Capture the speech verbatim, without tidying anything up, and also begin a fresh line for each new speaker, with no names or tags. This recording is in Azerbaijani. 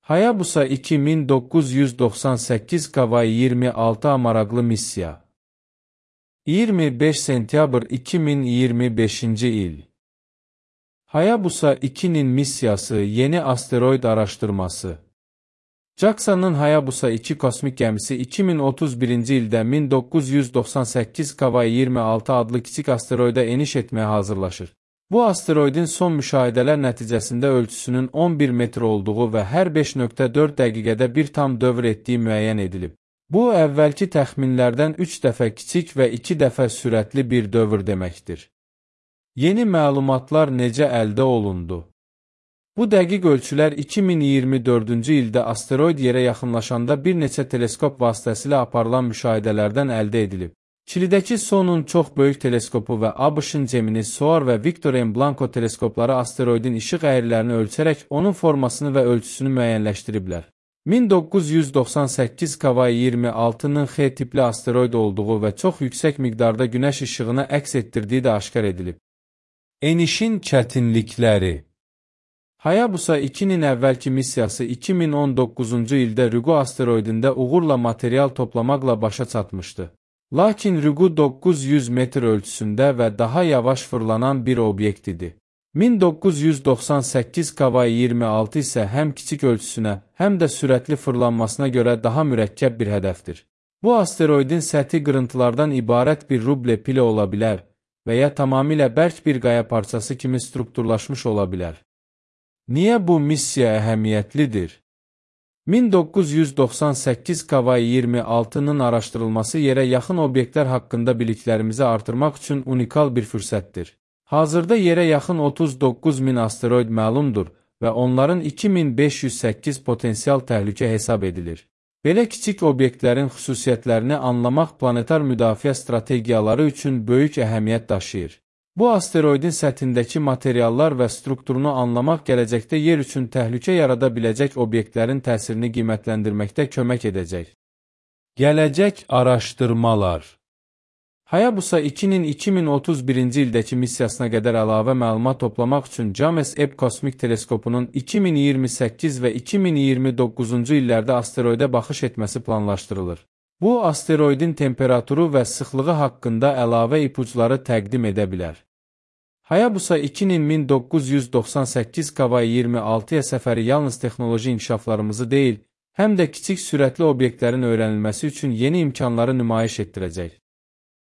Hayabusa iki min doqquz yüz doxsan səkkiz Kavai iyirmi altı maraqlı missiya. iyirmi beş sentyabr iki min iyirmi beşinci il. Hayabusa ikinin missiyası yeni asteroid araşdırması. JAXA'nın Hayabusa iki kosmik gəmisi iki min otuz birinci ildə min doqquz yüz doxsan səkkiz Kavai iyirmi altı adlı kiçik asteroida eniş etməyə hazırlaşır. Bu asteroidin son müşahidələr nəticəsində ölçüsünün on bir metr olduğu və hər beş nöqtə dörd dəqiqədə bir tam dövr etdiyi müəyyən edilib. Bu, əvvəlki təxminlərdən üç dəfə kiçik və iki dəfə sürətli bir dövr deməkdir. Yeni məlumatlar necə əldə olundu? Bu dəqiq ölçülər iki min iyirmi dördüncü ildə asteroid yerə yaxınlaşanda bir neçə teleskop vasitəsilə aparılan müşahidələrdən əldə edilib. Çilidəki Sonun çox böyük teleskopu və ABŞ-ın Gemini, SOAR və Victor M. Blanco teleskopları asteroidin işıq əyrilərini ölçərək onun formasını və ölçüsünü müəyyənləşdiriblər. min doqquz yüz doxsan səkkiz Kavai iyirmi altının X tipli asteroid olduğu və çox yüksək miqdarda günəş işığını əks etdirdiyi də aşkar edilib. Enişin çətinlikləri. Hayabusa ikinin əvvəlki missiyası iki min on doqquzuncu ildə Ryugu asteroidində uğurla material toplamaqla başa çatmışdı. Lakin Ryugu doqquz yüz metr ölçüsündə və daha yavaş fırlanan bir obyekt idi. min doqquz yüz doxsan səkkiz Kavai iyirmi altı isə həm kiçik ölçüsünə, həm də sürətli fırlanmasına görə daha mürəkkəb bir hədəfdir. Bu asteroidin səthi qırıntılardan ibarət bir ruble pili ola bilər və ya tamamilə bərk bir qaya parçası kimi strukturlaşmış ola bilər. Niyə bu missiya əhəmiyyətlidir? min doqquz yüz doxsan səkkiz Kavai iyirmi altının araşdırılması yerə yaxın obyektlər haqqında biliklərimizi artırmaq üçün unikal bir fürsətdir. Hazırda yerə yaxın otuz doqquz min asteroid məlumdur və onların iki min beş yüz səkkiz potensial təhlükə hesab edilir. Belə kiçik obyektlərin xüsusiyyətlərini anlamaq planetar müdafiə strategiyaları üçün böyük əhəmiyyət daşıyır. Bu asteroidin səthindəki materiallar və strukturunu anlamaq gələcəkdə yer üçün təhlükə yarada biləcək obyektlərin təsirini qiymətləndirməkdə kömək edəcək. Gələcək araşdırmalar. Hayabusa ikinin iki min otuz birinci ildəki missiyasına qədər əlavə məlumat toplamaq üçün James Webb kosmik teleskopunun iki min iyirmi səkkiz və iki min iyirmi doqquzuncu illərdə asteroidə baxış etməsi planlaşdırılır. Bu, asteroidin temperaturu və sıxlığı haqqında əlavə ipuçları təqdim edə bilər. Hayabusa ikinin min doqquz yüz doxsan səkkiz Kavai iyirmi altıya səfəri yalnız texnoloji inkişaflarımızı deyil, həm də kiçik sürətli obyektlərin öyrənilməsi üçün yeni imkanları nümayiş etdirəcək.